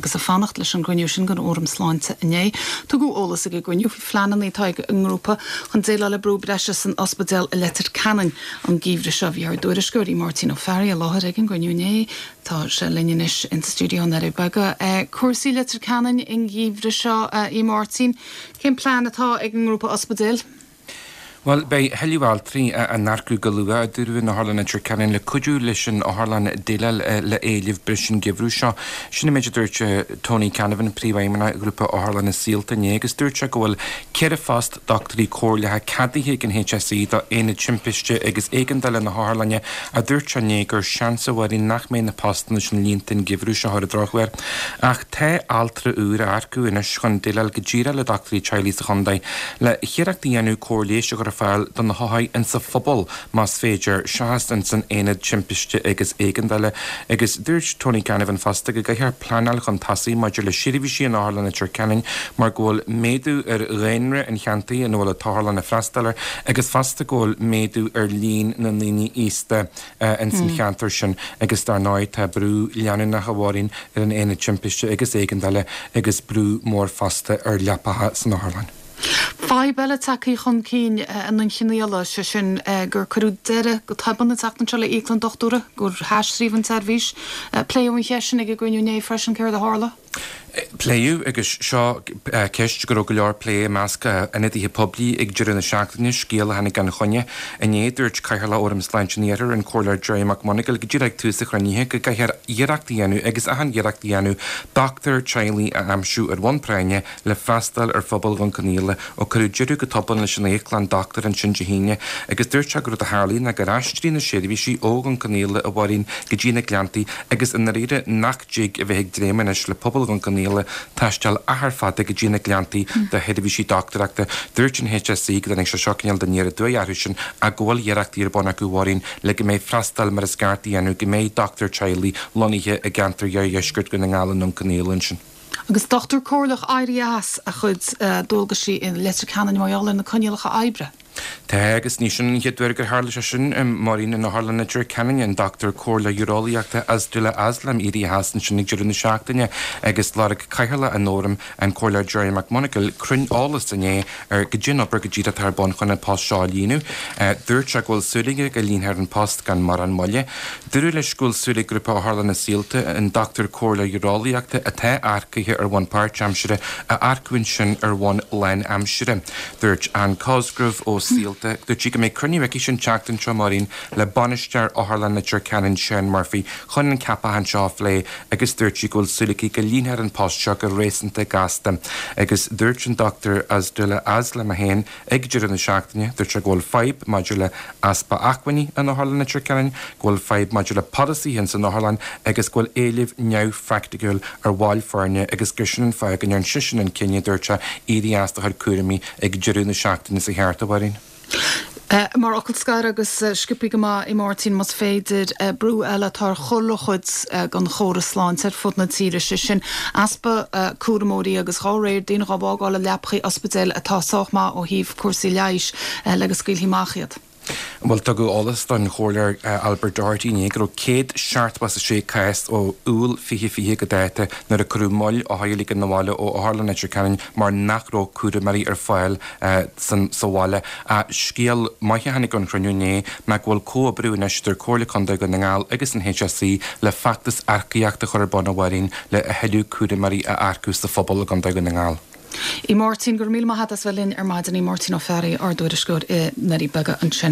Agus ag fanacht leis an gcruinniú sin den Fhóram Sláinte inné, tugadh eolas ag an gcruinniú faoi phleananna atá ag an ngrúpa chun déileáil le brú breise san ospidéal i Leitir Ceanainn an geimhreadh seo. Bhí ár dtuairisceoir, Máirtín Ó Fearraigh, i láthair ag an gcruinniú inné. Tá sé linn anois insa stiúideo i nDoirí Beaga. Cúrsaí Leitir Ceanainn an geimhreadh seo, a Mháirtín, cén plean atá ag an ngrúpa ospidéil? Bhuel, beidh a thuilleadh altraí á n-earcú go luath, a dúradh in Otharlann Leitir Ceanainn, le cuidiú leis an otharlann déileáil le éileamh breise an geimhreadh seo. Sin an méid a dúirt Tony Canavan, Príomhfheidhmeannach Ghrúpa Otharlanna Saolta inné agus dúirt sé go bhfuil 4 phost dochtúirí comhairleacha ceadaithe ag an HSE do Aonad Timpiste agus Éigeandála na hotharlainne ach dúirt sé inné gur seans a Mháirín nach mbeidh na postanna sin líonta an geimhreadh seo ar an drochuair. Ach tá altra úr á earcú anois chun déileáil go díreach le dochtúirí teaghlaigh sa chontae. Le hiarracht a dhéanamh cóir leighis a chur ar fáil do na hothair insa phobal más féidir, seachas ins an aonad timpiste agus éigeandála. Agus dúirt Tony Canavan fosta go gcaithfear pleanáil chun tosaigh maidir le seirbhísí in Otharlann Leitir Ceanainn mar go bhfuil méadú ar dhaonra an cheantair ina bhfuil an t-otharlann ag freastal air agus fosta go bhfuil méadú ar líon na ndaoine aosta ins an cheantar sin agus dar ndóigh tá brú leanúnach a Mháirín ar an Aonad Timpiste agus Éigeandála agus brú mór fosta ar leapacha san otharlann. Fadhb eile tagtha chun cinn i nDún Chionnaola, sé sin gur cuireadh deireadh go tobann an tseachtain seo le íoclann dochtúra, gur haistríodh an tseirbhís. Pléadh an cheist sin ag an gcruinniú inné freisin, céard a tharla? Pléadh, agus seo ceist go raibh go leor plé i measc ionadaithe poiblí ag deireadh na seachtaine, scéal a tháinig gan choinne. Inné, dúirt Cathaoirleach Fhóram Sláinte an Iarthair, an Comhairleoir Gerry McMonagall, go díreach ag tús an chruinnithe, go gcaithfear iarracht a dhéanamh, agus achan iarracht a dhéanamh, dochtúir teaghlaigh a aimsiú ar bhonn práinne le freastal ar phobal Dhún Cionnaola ó cuireadh deireadh go tobann leis an íoclann dochtúra ansin Dé hAoine agus dúirt sé gur rud a tharlaigh ná gur aistrigh na seirbhísí ó Dhún Cionnaola, a Mháirín, go dtí na Gleanntaí agus i ndáiríre nach dtig a bheith ag dréim anois le pobal Dhún Cionnaola taisteal achar fada go dtí na Gleanntaí do sheirbhísí dochtúireachta. Dúirt an HSE go dtáinig sé seo cineál de aniar aduaidh orthu sin ach go bhfuil iarrachtaí ar bun acu, a Mháirín, le go mbeidh freastal mar is ceart á dhéanamh, go mbeidh dochtúir teaghlaigh lonnaithe i gceantar iardheisceart Dhún na nGall i nDún Cionnaola ansin. Agus dochtúir comhairleach éirithe as a chuid dualgaisí i Leitir Ceanainn mar gheall ar na coinníollacha oibre. Tá, agus ní sin an chéad uair gur tharla sé sin, Máirín, in Otharlann Leitir Ceanainn, an dochtúir comhairleach ureolaíochta Asdullah Aslam éirithe as ansin ag deireadh na seachtaine agus lorg Cathaoirleach an Fhóraim, an Comhairleoir Gerry McMonagall, cruinn-eolas inné ar goidé an obair go díreach atá ar bun chun an post seo a líonadh. Dúirt sé go bhfuil súil aige go líonfar an post gan mórán moille. Dúradh leis go bhfuil súil ag Grúpa Otharlanna Saolta an dochtúir comhairleach ureolaíochta atá earcaithe ar bhonn páirtaimsire a earcú ansin ar bhonn lánaimsire. Dúirt Ann Cosgrove ó Saolta, dúirt sí go mbeidh cruinniú aici an tseachtain seo, Máirín, le bainisteoir Otharlann Leitir Ceanainn, Seán Murphy, chun an ceapachán seo a phlé agus dúirt sí go bhfuil súil aici go líonfar an post seo go réasúnta gasta. Agus dúirt an Dr Asdullah Aslam é féin ag deireadh na seachtaine, dúirt sé go bhfuil fadhb maidir le easpa acmhainní in Otharlann Leitir Ceanainn, go bhfuil fadhb maidir le polasaithe ins an otharlann agus go bhfuil éileamh neamhphraiticiúil ar bhaill foirne agus gur sin an fáth go ndearn seisean an cinneadh, dúirt sé, éirí as dá chuid cúraimí ag deireadh na seachtaine sa cheart, a Mháirín. Mar fhocal scoir agus sciobthaí go maith, a Mháirtín, más féidir, brú eile atá ar chuile chuid den chóras sláinte ar fud na tíre, sé sin easpa cúramóirí agus dhá réir, daoine dhá bhfágáil i leapachaí ospidéil atá sách maith ó thaobh cúrsaí leighis le go scaoilfí amach iad. Bhuel, tugadh eolas don Chomhairleoir Albert Doherty inné go raibh 176 cás ó Iúil 2020 go dáta nuair a cuireadh moill othair a ligean abhaile ó Otharlann Leitir Ceanainn mar nach raibh cúramóirí ar fáil sa bhaile. Scéal maith a tháinig ón chruinniú inné ná go bhfuil comhoibriú anois idir Comhairle Contae Dhún na nGall agus an HSE le feachtas earcaíochta a chur ar bun, a Mháirín, le a thuilleadh cúramóirí a earcú sa phobal i gContae Dhún na nGall. A Mháirtín, go raibh míle maith agat as bheith linn ar maidin. A Mháirtín Ó Fearraigh, ár dtuairisceoir i nDoirí Beaga ansin.